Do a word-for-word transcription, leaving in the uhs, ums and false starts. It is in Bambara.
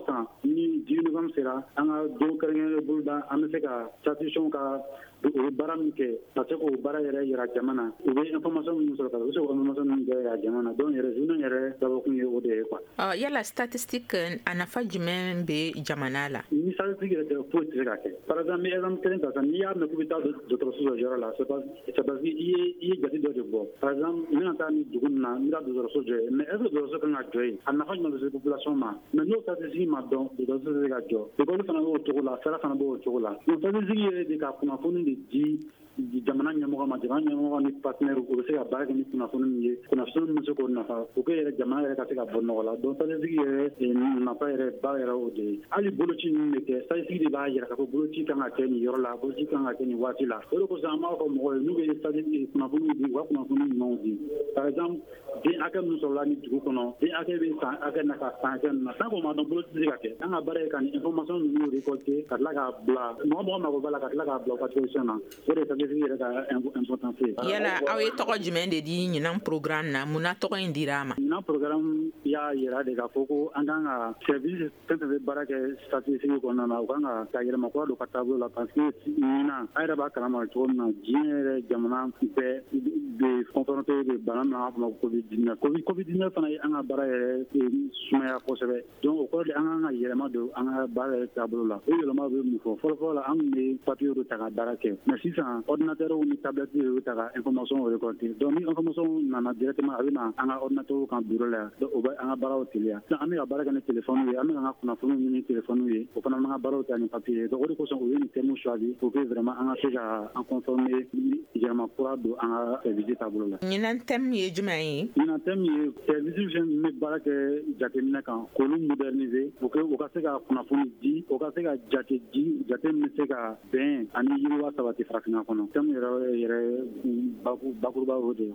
o san ni dix-huit novembre sera, an ka don kɛrɛnkɛrɛnnen boloda, an bɛ se ka statisticiens ka u bɛ baara min kɛ, ka se k'o baara yɛrɛ yira jama na, u bɛ information minnu sɔrɔ, ka u bɛ se k'o information ninnu bɛɛ yira jama na. Donc yɛrɛ, journée yɛrɛ dabɔkun ye o de ye quoi. Ɔ, yala statistique, a nafa jumɛn bɛ jamana la? Ni statistique yɛrɛ tɛ, foyi tɛ se ka kɛ. Par exemple, n bɛ exemple kelen ta sisan. N'i y'a mɛn k'i bɛ taa dɔgɔtɔrɔso dɔ yɔrɔ la, c'est parce que i ye i ye jate dɔ de bɔ. Par exemple, n bɛna taa nin dugu nin na, n bɛ taa dɔgɔtɔrɔso jɔ yen, mais est ce que dɔgɔtɔrɔso kan ka jɔ yen? A nafa jumɛn bɛ se population ma? Mais n'o statistique ma dɔn, dɔgɔtɔrɔso tɛ se ka jɔ. École fana b'o cogo la, sira fana b'o cogo la. Donc statistique yɛrɛ de ka kunnafoni de di jamana ɲɛmɔgɔ ma, jamana ɲɛmɔgɔ ni partenaire, u bɛ se ka baara kɛ ni kunnafoni min ye, kunnafoni min bɛ se k'o nafa pour que yɛrɛ jamana yɛrɛ ka se ka bɔ nɔgɔ la. Donc statistique yɛrɛ nafa yɛrɛ ba yɛrɛ o de ye. Hali boloci ninnu bɛ kɛ, statistique de b'a jira k'a fɔ boloci kan ka kɛ nin yɔrɔ la, boloci kan ka kɛ nin waati la. O de kosɔn an b'a fɔ mɔgɔw ye, n'u bɛ statistique kunnafoni di, u ka kunnafoni ɲumanw di. Par exemple, den hakɛ min sɔrɔla nin dugu kɔnɔ, den hakɛ bɛ san hakɛ na ka san hakɛ na, tant que o ma dɔn, boloci tɛ se ka kɛ. An ka baara ye ka nin information ninnu récolter, ka tila k'a bila mɔgɔ mɔgɔ mago b'a la, ka tila k'a bila u ka disposition na. O de ye statistique yɛrɛ ka importance ye. Yala aw ye tɔgɔ jumɛn de di ɲinan programme na? Mun na tɔgɔ in dira a ma? Ɲinan programme y'a yira de k'a fɔ ko an kan ka service fɛn fɛn bɛ baara kɛ statistique kɔnɔna na, u kan ka ka yɛlɛma kura don ka taabolo la, parce que ɲinan, an yɛrɛ b'a kalama cogo min na, diɲɛ yɛrɛ jamana bɛɛ bɛ confronté de bana min, an b'a fɔ ma ko COVID dix-neuf. COVID dix-neuf fana ye an ka baara yɛrɛ sumaya kosɛbɛ. Donc o kɔrɔ de, an kan ka yɛlɛma don an ka baara yɛrɛ taabolo la. O yɛlɛma bɛ mun fɔ? Fɔlɔ fɔlɔ la, an tun bɛ papier de ta ka baara kɛ, mais sisan ordinateur ni tablette de bɛ ta ka information récolter. Donc ni information nana directement, a bɛ na an ka ordinateur kan bureau la yan. Donc o bɛ an ka baaraw teliya. Sisan an bɛ ka baara kɛ ni téléphone ye, an bɛ ka an ka kunnafoniw ɲini téléphone ye, o fana b'an ka baaraw ta ni papier ye. Donc o de kosɔn u ye nin thème choisi pour que vraiment an ka se ka an conformer, yɛlɛma kura don an ka service taabolo la. Ɲinan thème ye jumɛn ye? Ɲinan thème ye service fɛn min bɛ baara kɛ jateminɛ kan, k'olu moderniser pour que u ka se ka kunnafoni di, u ka se ka jate di, jate min bɛ se ka bɛn ani yiriwa sabati farafinna kɔnɔ. Thème yɛrɛ yɛrɛ bakuruba o de ye.